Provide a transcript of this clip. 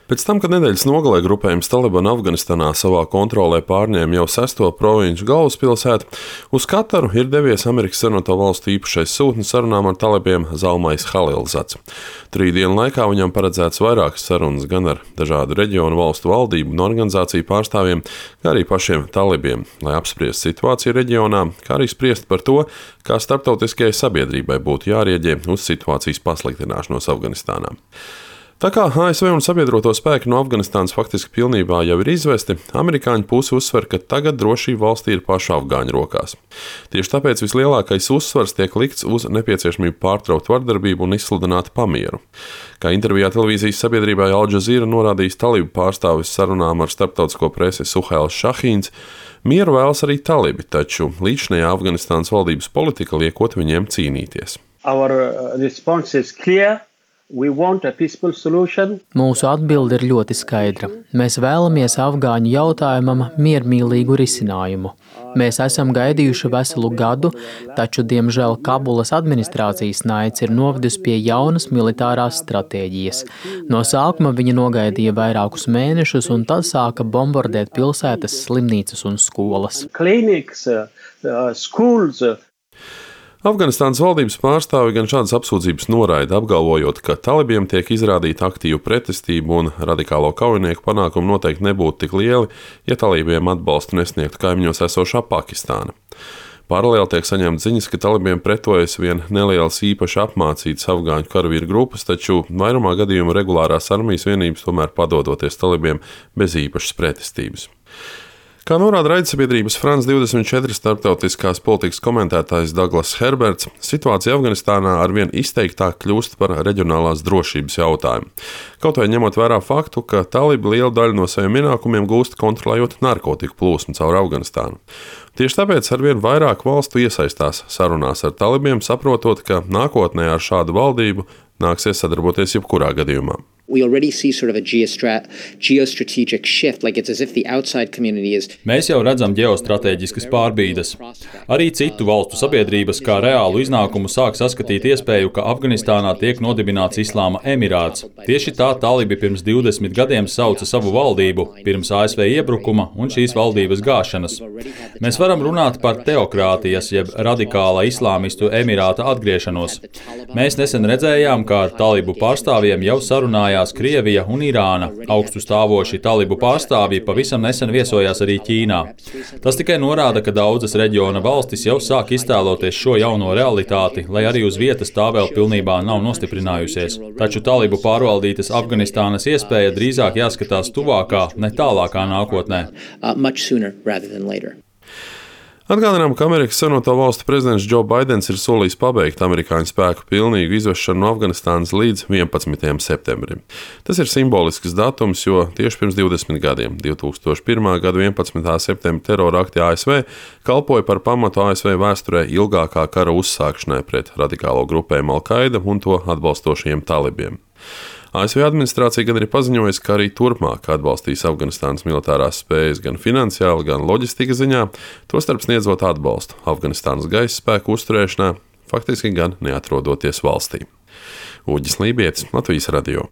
Pēc tam, kad nedēļas nogalē grupējums Taliban Afganistānā savā kontrolē pārņēma jau 6. provinču galvaspilsētu, uz Kataru ir devies Amerikas Savienoto Valstu īpašais sūtnis sarunām ar talibiem Zalmais Halilzats. 3 dienu laikā viņam paredzēts vairākas sarunas gan ar dažādu reģionu valstu valdību un organizāciju pārstāvjiem, kā arī pašiem talibiem, lai apspriestu situāciju reģionā, kā arī spriest par to, kā starptautiskajai sabiedrībai būtu jārieģē uz situācijas pasliktināšanos Afganistānā. Tā kā ASV un sabiedroto spēki no Afganistānas faktiski pilnībā jau ir izvesti, amerikāņu puse uzsver, ka tagad drošība valstī ir pašu afgāņu rokās. Tieši tāpēc vislielākais uzsvars tiek likts uz nepieciešamību pārtraukt vardarbību un izsludināt pamieru. Kā intervijā televīzijas sabiedrībai Al Jazeera norādījis talibu pārstāvis sarunām ar starptautisko presi Suhails Šahīns, mieru vēlas arī talibi, taču līdzinājā Afganistānas valdības politika liekot viņiem cīnīties. Our response is clear. Mūsu atbilde ir ļoti skaidra. Mēs vēlamies afgāņu jautājumam miermīlīgu risinājumu. Mēs esam gaidījuši veselu gadu, taču, diemžēl, Kabulas administrācijas naids ir novedis pie jaunas militārās stratēģijas. No sākuma viņi nogaidīja vairākus mēnešus un tad sāka bombardēt pilsētas, slimnīcas un skolas. Afganistānas valdības pārstāvi gan šādas apsūdzības noraida, apgalvojot, ka talibiem tiek izrādīta aktīva pretestība un radikālo kaujinieku panākumi noteikti nebūtu tik lieli, ja talibiem atbalstu nesniegtu kaimiņos esošā Pakistāna. Paralēli tiek saņemts ziņas, ka talibiem pretojas vien nelielas īpaši apmācītas afgāņu karavīru grupas, taču vairumā gadījumu regulārās armijas vienības tomēr padodoties talibiem bez īpašas pretestības. Kā norāda raidsabiedrības France 24 starptautiskās politikas komentētājs Douglas Herberts, situācija Afganistānā arvien izteiktāk kļūst par reģionālās drošības jautājumu. Kaut vai ņemot vērā faktu, ka talibi lielu daļu no saviem ienākumiem gūst kontrolējot narkotiku plūsmu caur Afganistānu. Tieši tāpēc arvien vairāk valstu iesaistās sarunās ar talibiem, saprotot, ka nākotnē ar šādu valdību nāksies sadarboties jebkurā gadījumā. We already see sort of a geostrategic shift, like it's as if the outside community is. Mēs jau redzam ģeostrateģiskas pārbīdes. Arī citu valstu sabiedrības kā reālu iznākumu sāk saskatīt iespēju, ka Afganistānā tiek nodibināts Islāma emirāts. Tieši tā talibi pirms 20 gadiem sauca savu valdību, pirms ASV iebrukuma un šīs valdības gāšanas. Mēs varam runāt par teokrātijas, jeb radikāla islāmistu emirāta atgriešanos. Mēs nesen redzējām, kā ar talibu pārstāvjiem jau sarunājās Krievija un Irāna. Augstu stāvoši talibu pārstāvji pavisam nesen viesojās arī Ķīnā. Tas tikai norāda, ka daudzas reģiona valstis jau sāk iztēloties šo jauno realitāti, lai arī uz vietas tā vēl pilnībā nav nostiprinājusies. Taču talibu pārvaldītas Afganistānas iespēja drīzāk jāskatās tuvākā, ne tālākā nākotnē. Atgādinām, ka Amerikas Savienoto Valstu prezidents Džo Baidens ir solījis pabeigt amerikāņu spēku pilnīgu izvešanu no Afganistānas līdz 11. septembrim. Tas ir simbolisks datums, jo tieši pirms 20 gadiem, 2001. gada 11. septembra terora akti ASV, kalpoja par pamatu ASV vēsturē ilgākā kara uzsākšanai pret radikālo grupējumu Al-Qaida un to atbalstošajiem talibiem. ASV administrācija gan ir paziņojusi, ka arī turpmāk atbalstīs Afganistānas militārās spējas gan finansiāli, gan loģistikas ziņā, tostarp sniedzot atbalstu Afganistānas gaisa spēku uzturēšanā, faktiski gan neatrodoties valstī. Uģis Lībietis, Latvijas radio.